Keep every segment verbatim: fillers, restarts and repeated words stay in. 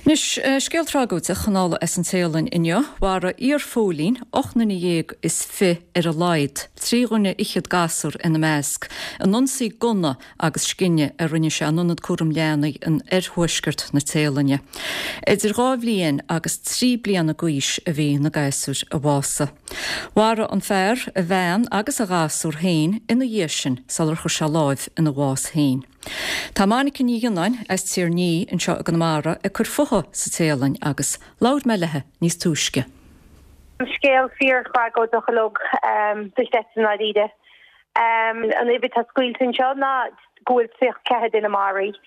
Anois, scéal tragóideach anall as an Téalainn inniu, mharaigh iarphóilín ocht nduine dhéag is fiche ar a laghad, trí dhuine fhichead gasúr ina measc, in ionsaí gunna agus scine a rinne sé in ionad cúram leanaí in oirthuaisceart na Téalainne. Idir dhá bhliain agus trí bliana d'aois a bhí na gasúir a bhásaigh. Mharaigh an fear a bhean agus a ghasúr féin ina dhiaidh sin sular chuir sé láimh ina bhás féin. Tá Monica Ní Ghionnáin as Tír Ní anseo i gConamara ag cur fúithi sa Téalainn agus labhair mé léi níos túisce. Scéal fíorthragóideach uilig duit i ndáiríre. An uimhir atá scaoilte anseo ná go bhfuil tríocha ceathair duine maraithe.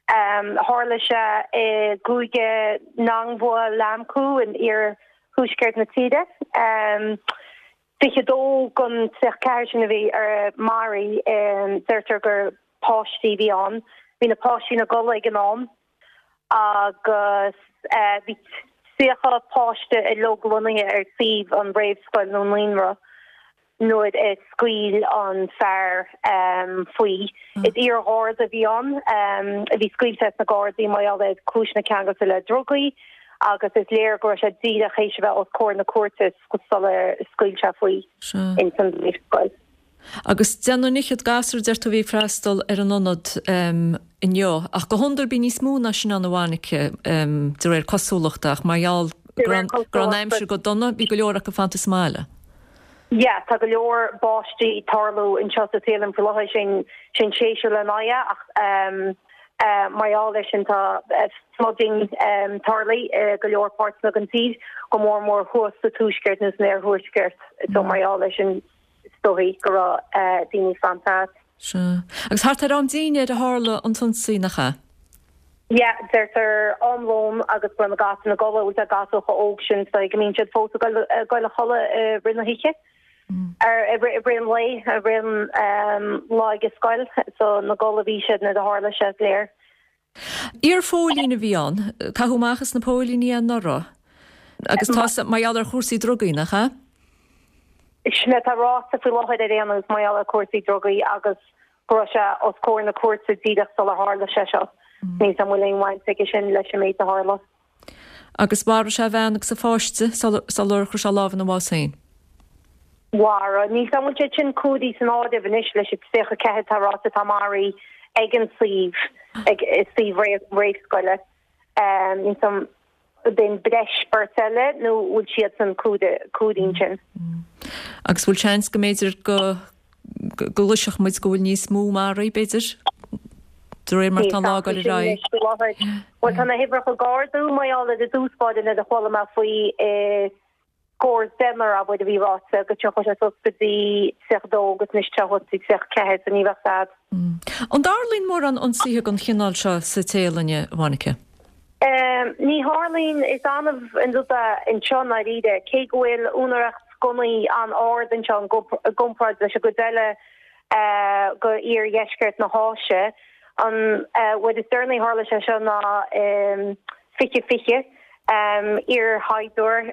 Tharla sé i gcúige Nong Bua Lamphu in iarthuaisceart na tíre. Fiche dó den tríocha ceathair sin a bhí maraithe, deirtear gur páistí a bhí ann. Bhí na páistí ina gcodladh ag an am agus bhí tríocha páiste uilig lonnaithe ar suíomh an réamhscoil nó naíonra nuair a scaoil an fear faoi. Is iar-gharda a bhí ann a bhí scaoilte as na Gardaí mar gheall ar chúiseanna ceangailte le drugaí agus is léir go raibh sé díreach théis a bheith os comhair na cúirte sular scaoil sé faoi ins an scoil. Agus deich nduine fhichead gasúr deir tú a bhí ag freastal ar an ionad inniu, ach go hiondúil bíonn níos mó ná sin ann a Mhonica de réir cosúlachta ach mar gheall go raibh an aimsir go dona bhí go leor acu fanta sa mbaile. Yeah, tá go leor báistí ag tarlú anseo sa Téalainn faoi láthair sin sin séasúr le n-aghaidh ach um, uh, mar gheall air sin tá flooding um, tarlaithe uh, go leor páirteanna den tír go mór mór thuas sa tuaisceart nó san iarthuaisceart so mar gheall air sin is dóigh go raibh uh, daoine fanta. Sea. Agus thart ar am dinnéir a tharla an t-ionsaí nach ea? Yeah, deirtear am lóin agus go raibh na gasúir ina gcodladh tá gasúir chomh óg sin so go mbíonn siad fós ag dul a chodladh i rith na hoíche. Ar i rith an lae i rith an lá ag scoil so ina gcodladh a bhí siad nuair a tharla sé is léir. Iarphóilín a bhí ann, caitheadh amach as na póilíní anuraidh agus tá mar gheall ar chúrsaí drugaí nach ea? Sin atá ráite faoi láthair ar aon nós mar gheall ar chúrsaí drugaí agus go raibh sé os comhair na cúirte díreach sular tharla sé seo. Níl a fhios agam an bhfuil aon bhaint aige sin leis an méid a tharla. Agus mharaigh sé a bhean agus a pháiste sular chuir sé lámh ina bhás féin. Mharaigh. Níl a fhios agam an bhfuil siad sin cumhdaithe san áireamh anois leis an tríocha ceathair atá ráite atá maraithe ag an suíomh, ag suíomh réamhscoile. Níl a fhios agam den breis beirt eile nó bhfuil siad san cumhdaithe ansin. Agus bhfuil seans go mb'fhéidir go go gcloisfeadh muid go bhfuil níos mó maraithe, b'fhéidir, de réir mar atá an lá ag dul ar aghaidh? Bhuel tá na huimhreacha ag ardú mar gheall ar i dtús báire nuair a chuala mé faoi i scór deichniúr abair a bhí ráite go dtiocfadh sé suas go dtí tríocha dó agus anois tá thuas go dtí tríocha ceathair so ní bheadh fad. An dtarlaíonn mórán ionsaithe den chineál seo sa Téalainn, a Mhonica? Ní tharlaíonn, is annamh an rud é anseo i ndáiríre, cé go bhfuil úinéireacht gunnaí an-ard anseo i gcomparáid leis an gcuid eile de iardheisceart na hÁise. An uair is deireanaí a tharla sé seo ná fiche fiche, iarshaighdiúir,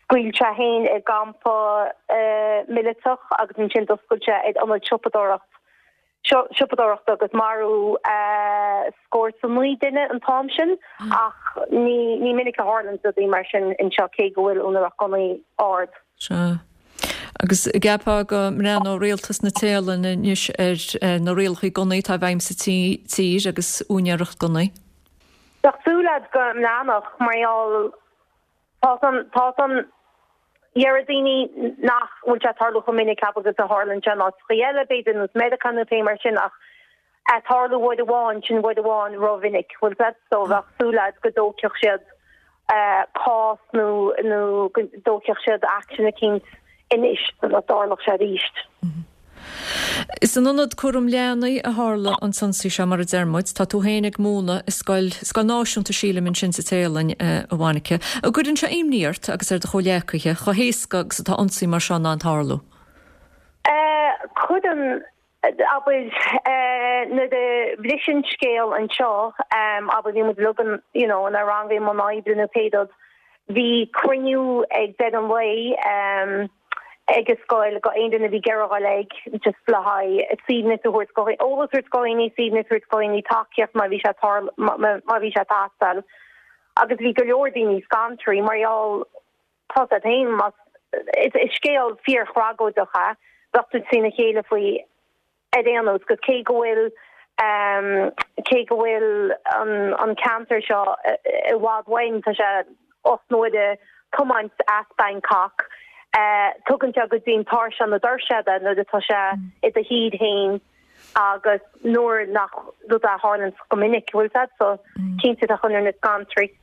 scaoil sé féin i gcampa míleatach agus ansin d'oscail sé ar ionad siopadóireacht. siopadóireachta agus maraíodh scór is a naoi duine an t-am sin ach ní ní minic a tharlaíonn rudaí mar sin anseo cé go bhfuil úinéireacht gunnaí ard. Sea. Agus an gceapfá go mbreathnódh rialtas na Téalainne anois ar na rialacha gunnaí atá i bhfeidhm sa tír agus úinéireacht gunnaí? Bheadh súil agat go mbreathnódh mar gheall Tá san, tá san. Déarfadh daoine nach bhfuil sé ag tarlú chomh minic agus a tharlaíonn sé in áiteachaí eile, b'fhéidir nós Meiriceá nó pé mar sin ach é ag tarlú uair amháin, sin uair amháin rómhinic, bhfuil 's agat? So bheadh súil agat go dtógfadh siad cás nó nó go dtógfadh siad action eicínt anois sula dtarlódh sé arís. Is in ionad cúram leanaí a tharla an t-ionsaí seo, mar a deir muid. Tá tú féin ag múineadh i scoil, scoil náisiúnta sílim ansin sa Téalainn, a Mhonica. An gcuireann sé imní ort agus ar do chomhghleacaithe chomh héasca agus atá ionsaí mar seo in ann tarlú? Cuireann, abair, nuair a bhris an scéal anseo, abair, bhí muid uilig in, you know, inár rang i mbun oibre nó pé rud, bhí cruinniú ag deireadh an lae, ag an scoil go aon duine a bhí ag iarraidh a dhul ag just le haghaidh suaimhneas a thabhairt go eolas a thabhairt go dhaoine, suaimhneas a thabhairt go dhaoine, tacaíocht má bhí sé má bhí sé ag teastáil Agus bhí go leor daoine scanraithe mar gheall tá féin mas is is scéal fíorthragóideach é bheadh tú trína chéile faoi ar aon nós go cé go bhfuil um, cé go bhfuil an, an ceantar seo i bhfad uainn tá sé ocht n-uaire tiomáint as Bangkok. Uh, tugann sé go dtí'n tairseach na doirse nuair atá sé i do thír féin agus nuair nach rud a tharlaíonn go minic bhfuil so cinnte tá chun na scanraí.